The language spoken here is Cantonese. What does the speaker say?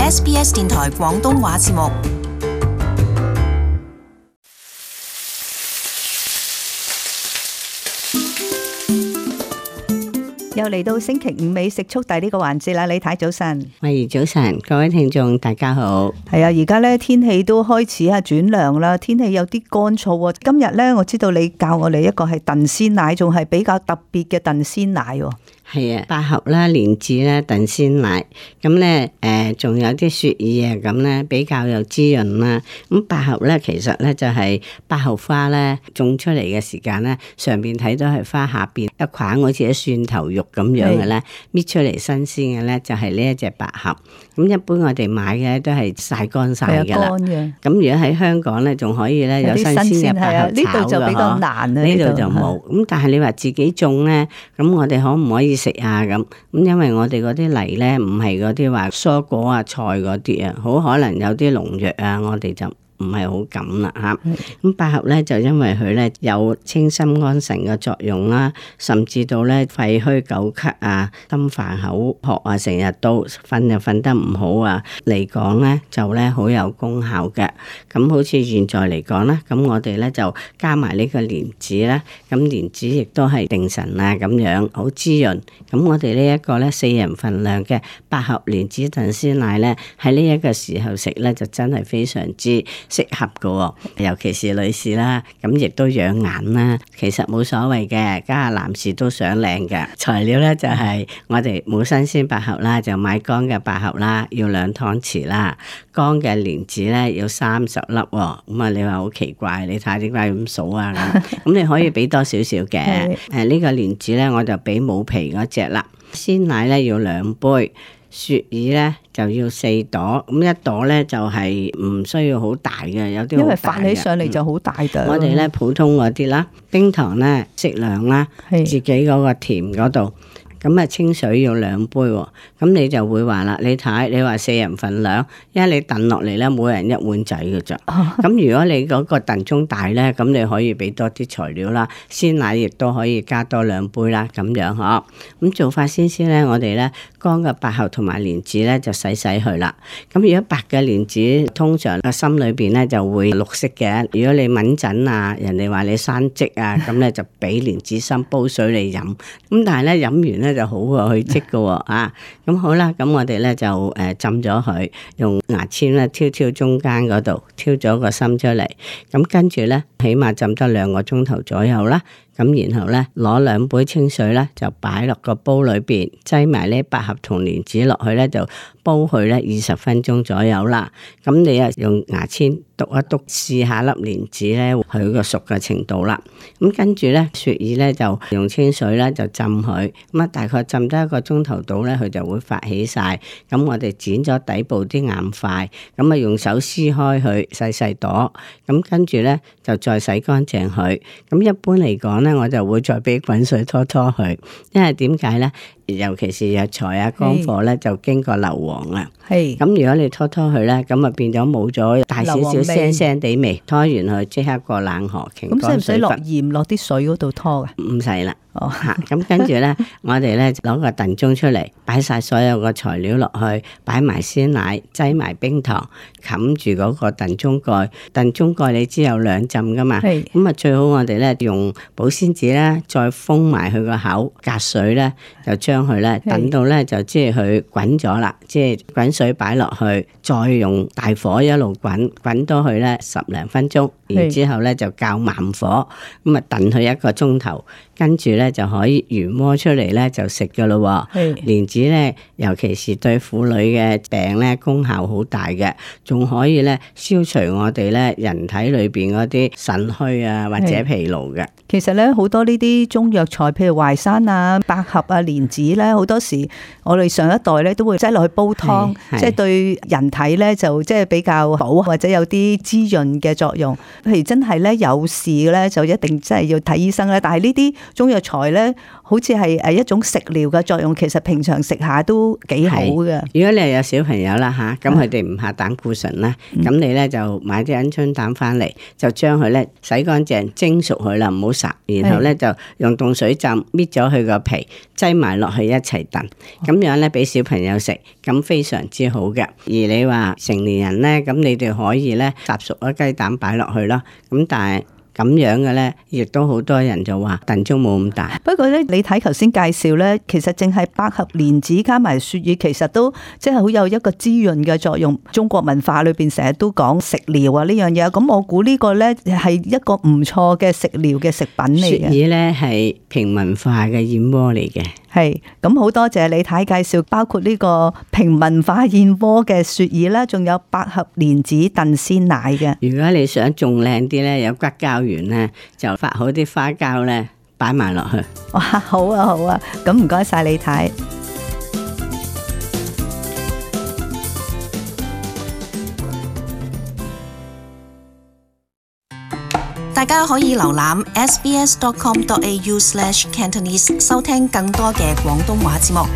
SBS 電台廣東話節目。又嚟到星期五美食速遞呢個環節啦，李太早晨。喂，早晨，各位聽眾大家好。係啊，而家咧天氣都開始轉涼啦，天氣有啲乾燥。今日咧，我知道你教我哋一個係燉鮮奶，仲係比較特別嘅燉鮮奶。係啊，百合啦、蓮子啦、燉鮮奶，咁咧仲有啲雪耳啊，咁咧比較有滋潤啦。咁百合咧，其實咧就係百合花咧種出嚟嘅時間咧，上邊睇到係花，下邊一塊好似啲蒜頭肉咁樣嘅咧，搣出嚟新鮮嘅咧就係呢一隻百合。咁一般我哋買嘅都係曬乾晒㗎啦。咁如果喺香港咧，仲可以咧有新鮮嘅百合炒嘅，呢度就比較難啊，呢度就冇。咁但係你話自己種咧，咁我哋可唔可以食啊？咁因為我哋嗰啲泥咧，唔係嗰啲話蔬果啊、菜嗰啲啊，好可能有啲農藥啊，我哋就唔係好敢啦嚇。咁百合咧就因為佢咧有清心安神嘅作用啦，甚至到咧肺虛久咳啊、心煩口渴啊、成日都瞓又瞓得唔好啊嚟講咧，就咧好有功效嘅。咁好似現在嚟講咧，咁我哋咧就加埋呢個蓮子啦，咁蓮子亦都係定神啊，咁樣好滋潤。咁我哋呢一個咧4人份量嘅百合蓮子燉鮮奶咧，喺呢一個時候食咧就真係非常之適合嘅，尤其是女士啦，咁亦都養顏啦。其實冇所謂嘅，家下男士都想靚嘅。材料咧就係我哋冇新鮮百合啦，就買乾嘅百合啦，要2湯匙啦。乾嘅蓮子咧要30粒喎。咁啊，你話好奇怪，你睇點解咁數啊？咁你可以俾多少少嘅。呢個蓮子咧我就俾冇皮嗰隻啦。鮮奶咧要2杯。雪耳咧就要4朵，咁一朵咧就係唔需要好大嘅，有啲因為發起上嚟就好大嘅。我哋咧普通嗰啲啦，冰糖咧適量啦，自己嗰個甜嗰度。咁啊，清水要2杯喎，咁你就會話啦，你睇你話4人份量，因為你燉落嚟咧，每人1碗仔嘅咋。咁如果你嗰個燉盅大咧，咁你可以俾多啲材料啦，鮮奶亦都可以加多2杯啦，咁樣嗬。咁做法先咧，我哋咧乾嘅百合同埋蓮子咧就洗佢啦。咁如果白嘅蓮子，通常個心裏邊咧就會綠色嘅。如果你敏疹啊，人哋話你生積啊，咁咧就俾蓮子心煲水嚟飲。咁但係咧飲完咧就好過去積嘅啊。咁好啦，咁我哋咧就浸咗佢，用牙籤咧挑中間嗰度，挑咗個心出嚟。咁跟住咧，起碼浸得2個鐘頭左右啦。咁然後咧，攞2杯清水咧，就擺落個煲裏邊，擠埋呢百合同蓮子落去咧，就煲佢咧20分鐘左右啦。咁你啊用牙籤篤一篤，試下粒蓮子咧佢個熟嘅程度啦。咁跟住咧，雪耳咧就用清水咧就浸佢，咁啊大概浸得1個鐘頭到咧，佢就會發起晒。咁我哋剪咗底部啲硬塊，咁啊用手撕開佢細細朵，咁跟住咧就再洗乾淨佢。咁一般嚟講咧，我就會再俾滾水拖佢，因為點解咧？尤其是藥材啊、乾貨咧，就經過硫磺啊。咁如果你拖佢咧，咁啊變咗冇咗大少少腥腥地味。拖完佢即刻過冷河，咁使唔使落鹽落啲水嗰度拖噶？唔使啦。咁跟住咧，我哋咧攞個燉盅出嚟，擺晒所有個材料落去，擺埋鮮奶，擠埋冰糖，冚住嗰個燉盅蓋。燉盅蓋你知有2浸噶嘛？咁啊最好我哋咧用保鮮紙咧，再封埋佢個口，隔水咧就將佢咧等到咧就即係佢滾咗啦，即係滾水擺落去，再用大火一路滾多佢咧10零分鐘，然之後咧就較慢火，咁啊燉佢1個鐘頭。跟住咧就可以原鍋出嚟咧就食噶咯。蓮子咧，尤其是對婦女嘅病咧功效好大嘅，仲可以咧消除我哋咧人體裏邊嗰啲腎虛啊或者疲勞嘅。其實咧好多呢啲中藥材，譬如淮山啊、百合啊、蓮子咧，好多時我哋上一代咧都會擠落去煲湯，即係對人體咧就即係比較好，或者有啲滋潤嘅作用。譬如真係咧有事咧，就一定真係要睇醫生咧。但係呢啲中藥材咧，好似係一種食療嘅作用，其實平常食下都幾好嘅。如果你係有小朋友啦嚇，咁佢哋唔下膽固醇啦，咁你咧就買啲鵪鶉蛋翻嚟，就將佢咧洗乾淨蒸熟佢啦，唔好烚，然後咧就用凍水浸，搣咗佢個皮，擠埋落去一齊燉，咁樣咧俾小朋友食，咁非常之好嘅。而你話成年人咧，咁你哋可以咧烚熟咗雞蛋擺落去咯，咁但係咁樣嘅咧，亦都好多人就話燉盅冇咁大。不過咧，你睇頭先介紹咧，其實淨係百合蓮子加埋雪耳，其實都即係好有一個滋潤嘅作用。中國文化裏邊成日都講食療啊呢樣嘢，咁我估呢個咧係一個唔錯嘅食療嘅食品嚟嘅。雪耳咧係平民化嘅燕窩嚟嘅。係，咁好多謝李太介紹，包括呢個平民化燕窩嘅雪耳啦，仲有百合蓮子燉鮮奶嘅。如果你想仲靚啲咧，有骨膠原咧，就發好啲花膠咧，擺埋落去。哇，好啊好啊，咁唔該晒李太。大家可以瀏覽 sbs.com.au/cantonese 收聽更多嘅廣東話節目。